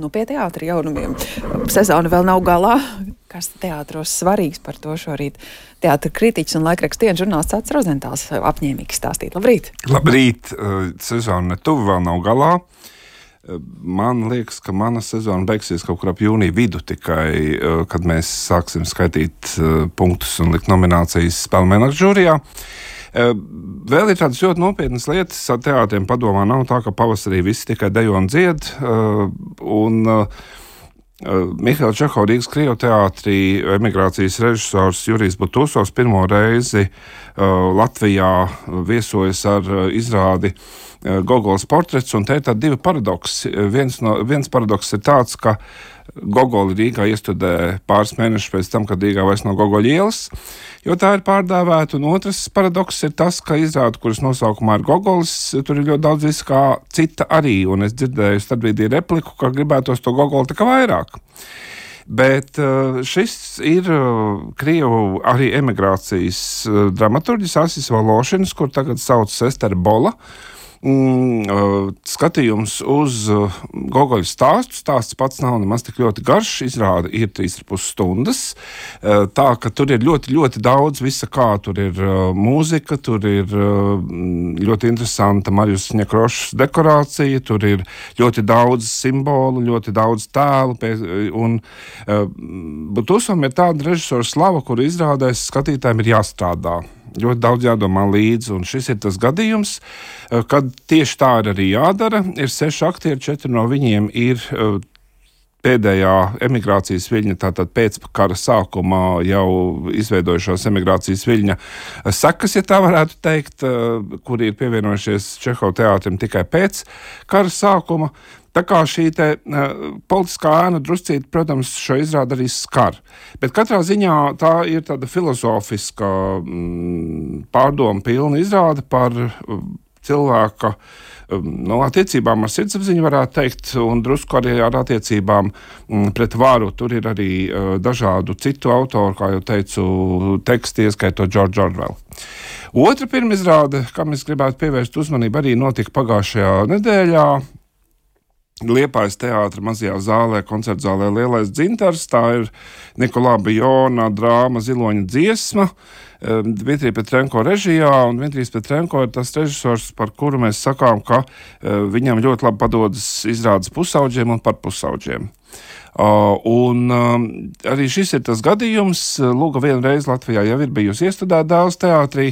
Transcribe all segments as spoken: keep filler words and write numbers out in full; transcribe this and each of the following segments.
Nu, pie teātra jaunumiem. Sezona vēl nav galā. Kas teātros svarīgs par to šorīt? Teātra kritiķis un laikraksta dienas žurnālists Acis Rozentāls apņēmīgi stāstīt. Labrīt! Labrīt! Sezona netuvu vēl nav galā. Man liekas, ka mana sezona beigsies kaut kur ap jūnija vidu tikai, kad mēs sāksim skaitīt punktus un likt nominācijas Spēlmeņa žūrijā. Vēl ir tādas ļoti nopietnas lietas. Ar teātriem padomā nav tā, ka pavasarī visi tikai dejo un dzied. Un Mihaila Čeho Rīgas Krievu teātrī emigrācijas režisors Jurijs Butusovs pirmo reizi Latvijā viesojas ar izrādi Gogols portrets, un te ir tādi divi paradoksi. Viens, no, viens paradoks ir tāds, ka Gogoli Rīgā iestudē pāris mēnešus pēc tam, kad Rīgā vairs nav Gogoļa ielas, jo tā ir pārdēvēta, un otrs paradoks ir tas, ka izrāda, kuras nosaukumā ir Gogolis, tur ir ļoti daudz visu kā cita arī, un es dzirdēju starpbrīdī repliku, ka gribētos to Gogoli tā kā vairāk. Bet šis ir Krievu arī emigrācijas dramaturģis Asis Vološinis, kur tagad sauc Ester Bola. Mm, skatījums uz Gogoļa stāstu. Stāsts pats nav nemaz tik ļoti garš, izrāda ir trīs ar pus stundas. Tā, ka tur ir ļoti, ļoti daudz visa kā. Tur ir mūzika, tur ir ļoti interesanta Marijus Ņekrošs dekorācija, tur ir ļoti daudz simbolu, ļoti daudz tēlu. Un Butusovam ir tāda režisora slava, kuru izrādēs skatītājiem ir jāstrādā. Ļoti daudz jādomā līdzi, un šis ir tas gadījums, kad tieši tā ir arī jādara. Ir seši aktieri, četri no viņiem ir pēdējā emigrācijas viļņa, tātad pēc kara sākumā jau izveidojušās emigrācijas viļņa sekas, ja tā varētu teikt, kuri ir pievienojušies Čeho teātrim tikai pēc kara sākuma. Tā kā šī te uh, politiskā ēna druscīt, protams, šo izrādi arī skar. Bet katrā ziņā tā ir tāda filozofiska mm, pārdoma pilna izrāde par uh, cilvēka um, no attiecībām ar sirdsapziņu, varētu teikt, un drusku arī ar attiecībām mm, pret varu. Tur ir arī uh, dažādu citu autoru, kā jau teicu, teksti, ieskaitot George Orwell. Otra pirmizrāde, kam es gribētu pievērst uzmanību, arī notika pagājušajā nedēļā. Liepājas teātra mazajā zālē, koncertzālē Lielais dzintars. Tā ir Nikolā Bijona drāma Ziloņa dziesma, Dmitrija Petrenko režijā, un Dmitrijs Petrenko ir tas režisors, par kuru mēs sakām, ka viņam ļoti labi padodas izrādes pusauģiem un par pusauģiem. Uh, un um, arī šis ir tas gadījums. Lūga vienreiz Latvijā jau ir bijusi iestudēta Dēls teātrī.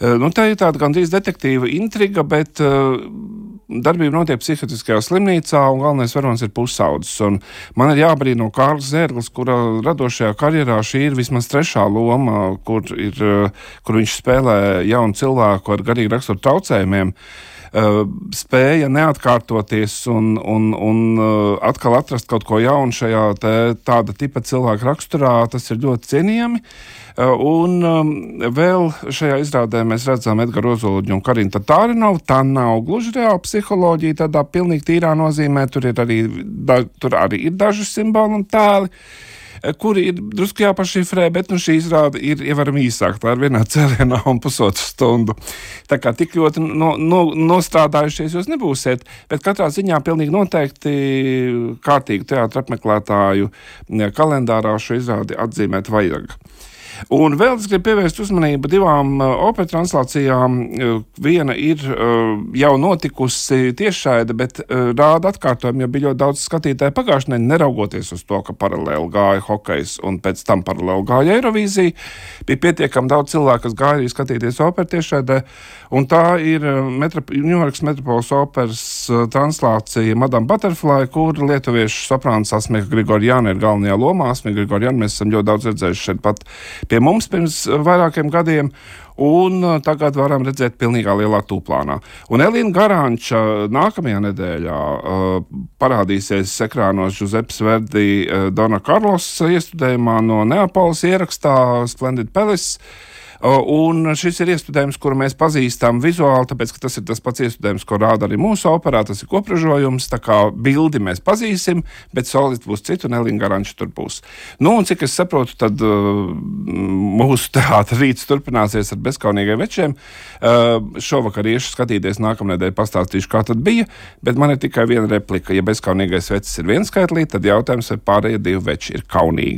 Uh, nu, tā ir tāda gandrīz detektīva intriga, bet uh, darbība notiek psihiatriskajā slimnīcā, un galvenais varonis ir pusaudzis. Un man ir jābrīno Kārlis Zērglis, kura radošajā karjerā šī ir vismaz trešā loma, kur, ir, kur viņš spēlē jaunu cilvēku ar garīgi raksturu traucējumiem. Uh, spēja neatkārtoties un, un, un uh, atkal atrast kaut ko jaunu šajā te, tāda tipa cilvēka raksturā, tas ir ļoti cienījami. Uh, un um, vēl šajā izrādē mēs redzam Edgaru Ozoliņu un Karinu Tatārinovu. Tā nav gluži reāla psiholoģija, tādā pilnīgi tīrā nozīmē. Tur, ir arī, da, tur arī ir daži simboli un tēli, kuri ir drusku jāpašifrē, bet nu šī izrāde ir ievarami īsāk. Tā ir vienā cēlienā un pusotru stundu. Tā kā tik ļoti no, no, nostrādājušies jūs nebūsiet, bet katrā ziņā pilnīgi noteikti kārtīgu teātra apmeklētāju kalendārā šo izrādi atzīmēt vajag. Un vēl es gribu pievērst uzmanību divām uh, opera translācijām. Uh, viena ir uh, jau notikusi tiešraide, bet uh, rāda atkārtojumu, jo bija ļoti daudz skatītāju pagājušajā nedēļā, neraugoties uz to, ka paralēli gāja hokejs un pēc tam paralēli gāja Eirovīzija. Bija pietiekami daudz cilvēku, kas gāja arī skatīties operu tiešraidē, un tā ir uh, Metrop- Ņujorkas Metropoles operas uh, translācija Madame Butterfly, kur lietuviešu soprāns Asmika Grigorjana ir galvenajā lomā. Asmika Grigorjana mēs esam ļoti daudz redzējuši šeit pat pie mums pirms vairākiem gadiem, un tagad varam redzēt pilnīgā lielā tūplānā. Un Elīna Garanča nākamajā nedēļā uh, parādīsies ekrānos Giuseppes Verdi uh, Dona Carlos iestudējumā no Neapoles ierakstā Splendid Palace. Un šis ir iestudējums, kuru mēs pazīstam vizuāli, tāpēc, ka tas ir tas pats iestudējums, ko rāda arī mūsu operā, tas ir kopražojums, tā kā bildi mēs pazīsim, bet solists būs citu, un Elīna Garanča tur būs. Nu, un cik es saprotu, tad uh, mūsu teātra rīts turpināsies ar bezkaunīgiem večiem. Uh, šovakar iešu skatīties, nākamnedēļ pastāstīšu, kā tad bija, bet man ir tikai viena replika. Ja bezkaunīgais vecis ir viens skaitlī, tad jautājums, vai pārējie divi veči ir kaunīgi.